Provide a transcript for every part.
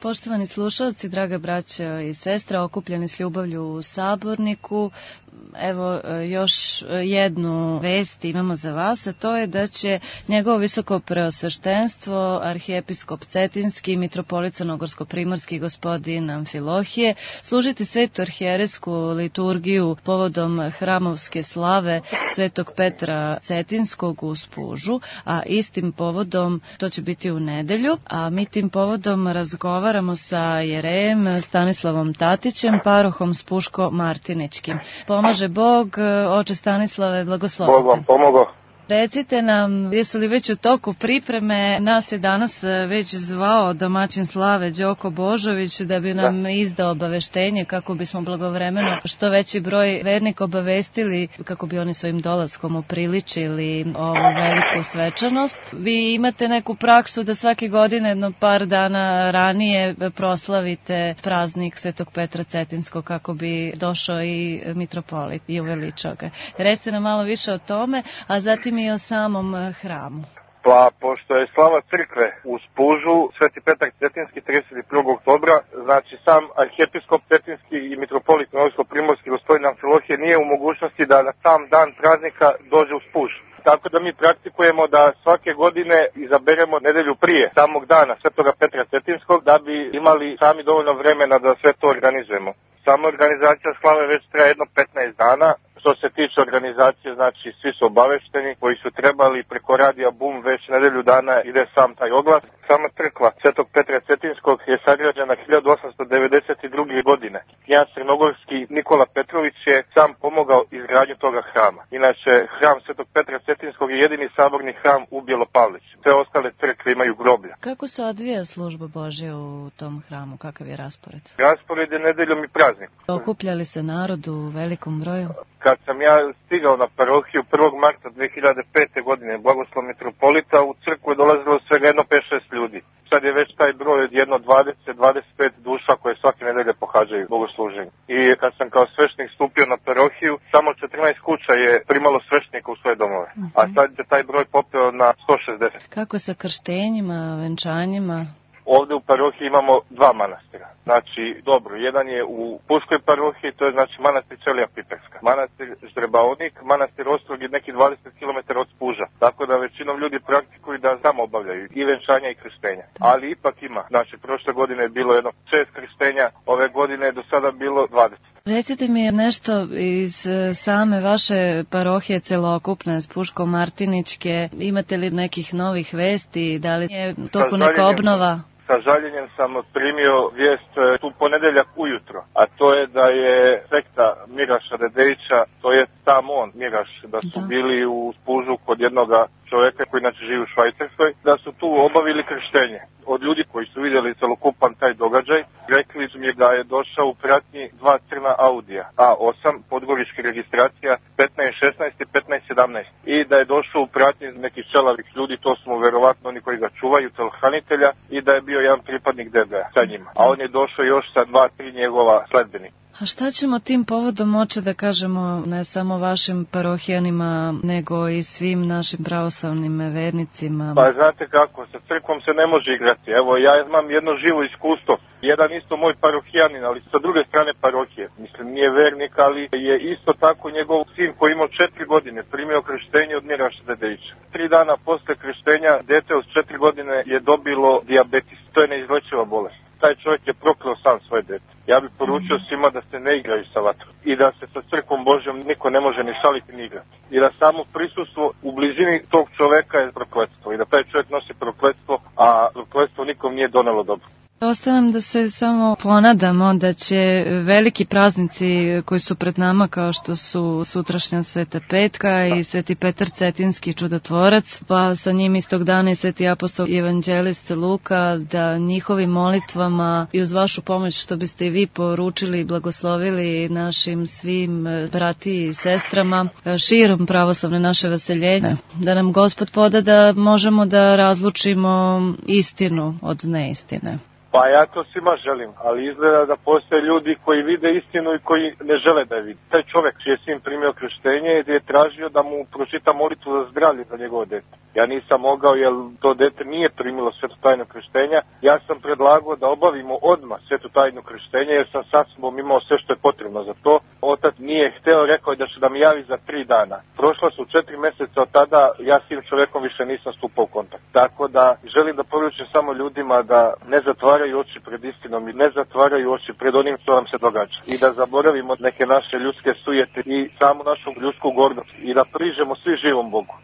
Poštovani slušalci, draga braćo i sestre, okupljeni s ljubavlju u Saborniku, evo još jednu vest imamo za vas, a to je da će njegovo visoko preosveštenstvo, arhijepiskop Cetinski, mitropolit crnogorsko-primorski gospodin Amfilohije, služiti svetu arhijerejsku liturgiju povodom hramovske slave svetog Petra Cetinskog u Spužu, a istim povodom, to će biti u nedelju, a mi tim povodom razgovaramo sa jerejem Stanislavom Tatićem, parohom Spuško-Martiničkim. Pomaže Bog, oče Stanislave, blagoslovite. Bog vam pomogao. Recite nam, jesu li već u toku pripreme? Nas je danas već zvao domaćin slave Đoko Božović da bi nam izdao obaveštenje kako bismo blagovremeno što veći broj vernika obavestili, kako bi oni svojim dolaskom upriličili ovu veliku svečanost. Vi imate neku praksu da svake godine jedno par dana ranije proslavite praznik Svetog Petra Cetinskog kako bi došao i mitropolit i uveličao ga. Recite nam malo više o tome, a zatim i o samom hramu. Pa, pošto je slava crkve u Spužu, Sveti Petar Cetinski 31. oktobra, znači sam arhijepiskop Cetinski i mitropolit crnogorsko-primorski gospodin Amfilohije nije u mogućnosti da na sam dan praznika dođe u Spuž. Tako da mi praktikujemo da svake godine izaberemo nedelju prije samog dana Svetoga Petra Cetinskog da bi imali sami dovoljno vremena da sve to organizujemo. Sama organizacija slave već traje jedno 15 dana. Što se tiče organizacije, znači svi su obavešteni koji su trebali preko radija Bum, već nedelju dana ide sam taj oglas. Sama crkva Svetog Petra Cetinskog je sagrađena 1892. godine. Knjaz crnogorski Nikola Petrović je sam pomogao izgradnju toga hrama. Inače, hram Svetog Petra Cetinskog je jedini saborni hram u Bjelopavliću. Sve ostale crkve imaju groblja. Kako se odvija služba Božja u tom hramu? Kakav je raspored? Raspored je nedeljom i praznik. Okupljali se narod u velikom broju? Kad sam ja stigao na parohiju 1. marta 2005. godine, blagoslov mitropolita, u crkvu je dolazilo svega jedno 5-6 ljudi. Sad je već taj broj jedno 20-25 duša koje svake nedelje pohađaju bogosluženje. I kad sam kao svešnik stupio na parohiju, samo 14 kuća je primalo svešnika u svoje domove. A sad je taj broj popeo na 160. Kako sa krštenjima, venčanjima? Ovde u parohiji imamo dva manastira. Znači, dobro, jedan je u Puškoj parohiji, to je znači manastir Ćelija Piperska. Manastir Ždrebaonik, manastir Ostrog je neki 20 km od Spuža. Tako da većinom ljudi praktikuju da samo obavljaju i venčanja i krštenja. Ali ipak ima. Znači, prošle godine je bilo jedno 6 krštenja, ove godine je do sada bilo 20. Recite mi nešto iz same vaše parohije celokupne, Spuško-Martiničke. Imate li nekih novih vesti? Da li je toku neka obnova? Sa žaljenjem sam primio vijest tu ponedeljak ujutro, a to je da je sekta Miraša Dedejića, to je sam on, Miraš, da su bili u Spužu kod jednoga čovjeka koji inače živi u Švajcarskoj, da su tu obavili krštenje. Od ljudi koji su vidjeli celokupan taj događaj, rekli su mi da je došao u pratnji dva crna Audija, A8, podgorička registracija 1516 i 1517, i da je došao u pratnji nekih čelavih ljudi, to su mu verovatno oni koji ga čuvaju, telohranitelja, i da je bio jedan pripadnik DB-a sa njima. A on je došao još sa 2-3 njegova sledbenika. A šta ćemo tim povodom moći da kažemo ne samo vašim parohijanima, nego i svim našim pravoslavnim vernicima? Pa znate kako, sa crkvom se ne može igrati. Evo, ja imam jedno živo iskustvo. Jedan isto moj parohijanin, ali sa druge strane parohije. Mislim, nije vernik, ali je isto tako njegov sin koji imao 4 godine primio krštenje od Miraša Dedejića. 3 dana posle krštenja dete od 4 godine je dobilo dijabetes. To je neizlečiva bolest. Taj čovjek je prokleo sam svoje dete. Ja bih poručio svima da se ne igraju sa vatrom i da se sa crkvom Božjom niko ne može ni šaliti ni igrati. I da samo prisustvo u blizini tog čovjeka je prokletstvo i da taj čovjek nosi prokletstvo, a prokletstvo nikom nije donelo dobro. Ostanem da se samo ponadamo da će veliki praznici koji su pred nama, kao što su sutrašnja Sveta Petka i Sveti Petar Cetinski čudotvorac, pa sa njim istog dana i Sveti apostol i evanđelist Luka, da njihovim molitvama i uz vašu pomoć što biste i vi poručili i blagoslovili našim svim brati i sestrama širom pravoslavne naše vaseljenje, da nam Gospod poda da možemo da razlučimo istinu od neistine. Pa ja to svima želim, ali izgleda da postoje ljudi koji vide istinu i koji ne žele da je vidi. Taj čovjek čiji je sin primio krštenje je tražio da mu pročita molitvu za zdravlje za njegovo dete. Ja nisam mogao jer to dete nije primilo svetu tajnu krštenja. Ja sam predlagao da obavimo odmah svetu tajnu krštenja jer sam sa sobom imao sve što je potrebno za to. Otac nije hteo, rekao je da će da mi javi za 3 dana. Prošla su 4 mjeseca od tada, ja s tim čovjekom više nisam stupao u kontakt. Tako da želim da poručim samo ljudima da ne zatvaraju oči pred istinom i ne zatvaraju oči pred onim što nam se događa. I da zaboravimo neke naše ljudske sujete i samu našu ljudsku gordost i da priđemo svi živom Bogu.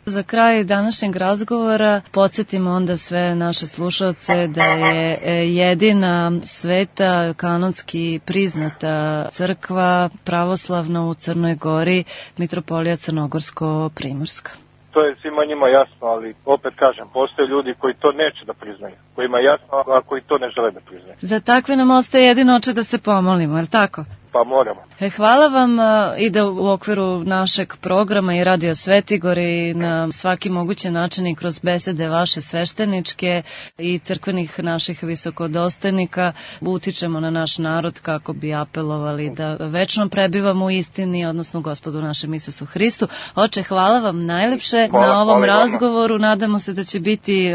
Za kraj današnjeg razgovora podsjetimo onda sve naše slušalce da je jedina sveta kanonski priznata crkva pravoslavna u Crnoj Gori Mitropolija Crnogorsko-Primorska. To je svima njima jasno, ali opet kažem, postoje ljudi koji to neće da priznaju, kojima je jasno, a koji to ne žele da priznaju. Za takve nam ostaje jedino da se pomolimo, je li tako? Pa moramo. Hvala vam i da u okviru našeg programa i Radio Svetigor i na svaki mogući način i kroz besede vaše svešteničke i crkvenih naših visokodostojnika utičemo na naš narod kako bi apelovali da večno prebivamo u istini, odnosno Gospodu našem Isusu Hristu. Oče, hvala vam najlepše na ovom razgovoru. Nadamo se da će biti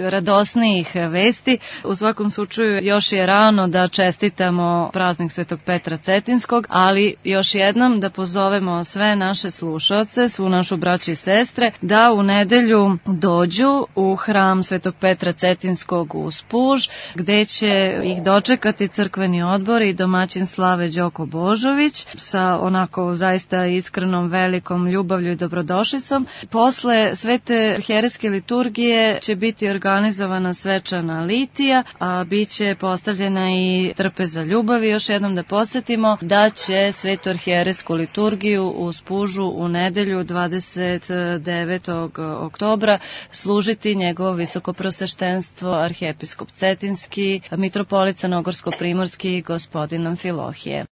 radosnijih vesti. U svakom slučaju još je rano da čestitamo praznik Svetog Petra Cetinskog, ali još jednom da pozovemo sve naše slušaoce, svu našu braću i sestre, da u nedelju dođu u hram Svetog Petra Cetinskog u Spuž, gde će ih dočekati crkveni odbor i domaćin slave Đoko Božović sa onako zaista iskrenom velikom ljubavlju i dobrodošlicom. Posle svete arhijerejske liturgije će biti organizovana svečana litija, a bit će postavljena i trpeza ljubavi. Još jednom da podsjetimo da će svetu arhijerejsku liturgiju u Spužu u nedelju 29. oktobra služiti njegovo visokoprosveštenstvo arhijepiskop Cetinski, mitropolit Crnogorsko-Primorski gospodin Amfilohije.